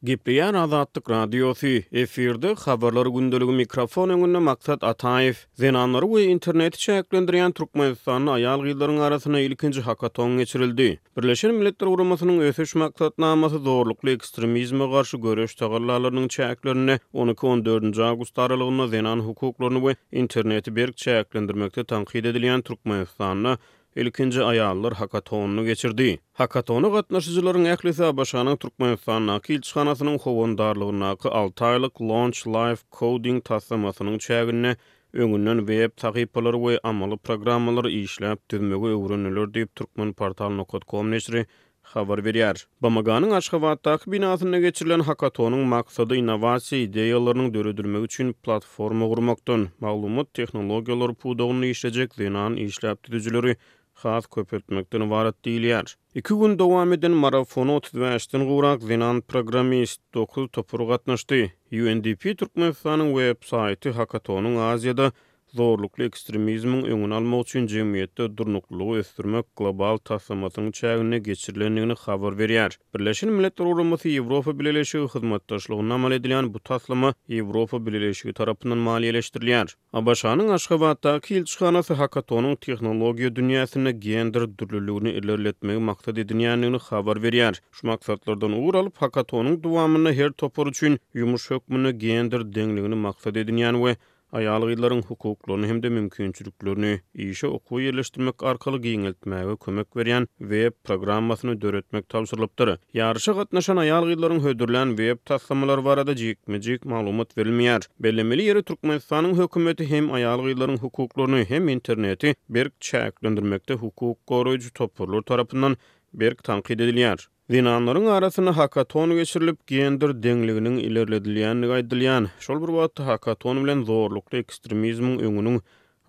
Gepleýär Azatlyk Radiosy, efirde Habarlar gündeligi mikrofon öňünde Maksat Ataýew. Zenanlary we interneti çäklendirýän Türkmenistanda aýal-gyzlaryň arasynda ilkinji hakaton geçirildi. Birleşen Milletler Guramasynyň Ösüş Maksatnamasy zorlukly ekstremizme garşy göreş tagallalarynyň çäklerinde on iki-on dördünji awgust aralygynda zenan hukuklaryny we interneti berk çäklendirmekde tankyt edilýän Türkmenistanda ilkinji aýallar hakatonyny geçirdi. Hakatona gatnaşyjylaryň ählisi ABŞ-nyň Türkmenistandaky ilçihanasynyň howandarlygyndaky alty aýlyk Launch Live Coding taslamasynyň çäginde öňünden web sahypalary we amaly programmalary işläp düzmegi öwrendiler diýip, Turkmenportal nokat kom neşiri habar berýär. BMG-niň Aşgabatdaky binasynda geçirilen hakatonyň maksady innowasiýa ideýalarynyň döredilmegi üçin platforma gurmakdan, maglumat tehnologiýalary pudagynda işlejek zenan işläp düzüjileri has köpeltmekden ybarat diýilýär. Iki gün dowam eden marafona 35-den gowrak zenan programmist, dokuz topar gatnaşdy. UNDP Türkmenistanyň web saýty hakatonyň Aziýada zorlukly ekstremizmiň öňüni almak üçin jemgyýetde durnuklylygy ösdürmek global taslamasynyň çäginde geçirilendigini habar berýär. Birleşen Milletler Guramasy Ýewropa Bileleşigi hyzmatdaşlygynda amal edilýän bu taslama Ýewropa Bileleşigi tarapyndan maliýeleşdirilýär. ABŞ-nyň Aşgabatdaky ilçihanasy hakatonyň tehnologiýa dünýäsinde gender dürlüligini ilerletmegi maksat edinýändigini habar berýär. Şu maksatlardan ugur alyp, hakatonyň dowamynda her topar üçin ýumuş hökmünde gender deňligini maksat edinýän we aýal-gyzlaryň hukuklaryny hem-de mümkinçiliklerini işe okuwa ýerleşdirmek arkaly giňeltmäge kömek berýän web programmasyny döretmek tabşyrylypdyr. Ýaryşa gatnaşan aýal-gyzlaryň hödürlän web taslamalary barada jikme-jik maglumat berilmeýär. Bellemeli ýeri, Türkmenistanyň hökümeti hem aýal-gyzlaryň hukuklaryny, hem interneti berk çäklendirmekde hukuk goraýjy toparlar tarapyndan berk tankyt edilýär. Zenanlaryň arasynda hakaton geçirilip, gender deňliginiň ilerledilýändigi aýdylýan, şol bir wagtda hakaton bilen zorlukly ekstremizmiň öňüniň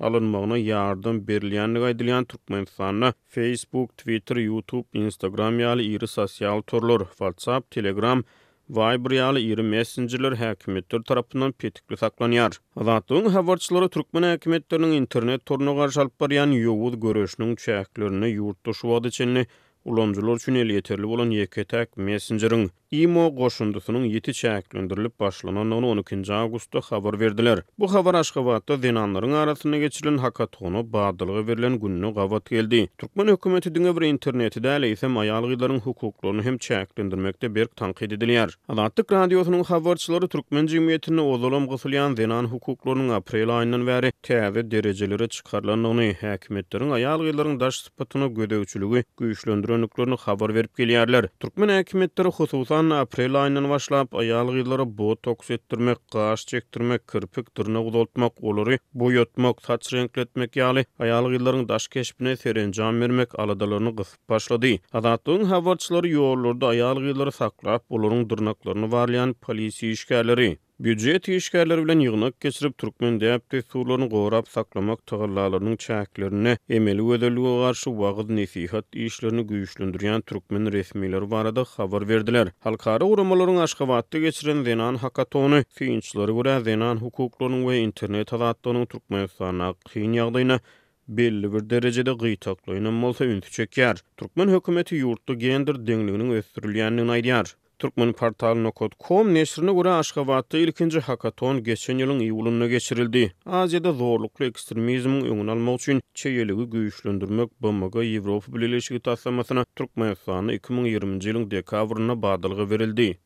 alynmagyna ýardam berilýändigi aýdylýan Türkmenistanda Facebook, Twitter, YouTube, Instagram ýaly iri sosial torlar, WhatsApp, Telegram, Viber ýaly iri messenjerler häkimiýetler tarapyndan petikli saklanýar. Azatlygyň habarçylary türkmen häkimiýetleriniň internet toruna garşy alyp barýan ýowuz göreşiniň çäklerinde ýurtda şu wagta çenli Ulanyjylar üçin elýeterli bolan ýeke-täk messenjeriň, Imo goşundysynyň ýiti çäklendirilip başlanandygyny on ikinji awgustda habar berdiler. Bu habar Aşgabatda zenanlaryň arasynda geçirilen hakatona badalga berlen gününe gabat geldi. Türkmen hökümeti diňe bir interneti däl, eýsem aýal-gyzlaryň hukuklaryny hem çäklendirmekde berk tankyt edilýär. Azatlyk Radiosynyň habarçylary türkmen jemgyýetinde ozalam gysylýan zenan hukuklarynyň aprel aýyndan bäri täze derejelere çykarylandygyny, häkimiýetleriň aýal-gyzlaryň daş sypatyna gözegçiligi güýçlendirendiklerini habar berip gelýärler. Türkmen häkimiýetleri, hususan-da, aprel aýyndan başlap, aýal-gyzlara botoks etdirmek, gaş çekdirmek, kirpik, dyrnak uzaltmak, olary boýatmak, saç reňkletmek ýaly aýal-gyzlaryň daş keşbine serenjam bermek aladalaryny gysyp başlady. Azatlygyň habarçylary ýollarda aýal-gyzlary saklap, olaryň dyrnaklaryny barlaýan polisiýa işgärleri, Býujet işgärleri bilen ýygnak geçirip, türkmen däp-dessurlaryny gorap saklamak tagallalarynyň çäklerinde emeli gözellige garşy wagyz-nesihat işlerini güýçlendirýän türkmen resmileri barada habar berdiler. Halkara guramalaryň Aşgabatda geçiren zenan hakatony synçylara görä zenan hukuklarynyň we internet azatlygynyň Türkmenistandaky kyn ýagdaýyna belli bir derejede gytaklaýynam bolsa ünsi çekýär. Türkmen hökümeti ýurtda gender deňliginiň ösdürilýändigini aýdýar. Turkmenportal nokat kom neşirine görä, Aşgabatda ilkinji hakaton geçen ýylyň iýulynda geçirildi. Aziýada zorlukly ekstremizmiň öňüni almak üçin çeýeligi güýçlendirmek BMG-Ýewropa Bileleşigi taslamasyna Türkmenistanda 2020-nji ýylyň dekabrynda badalga berildi.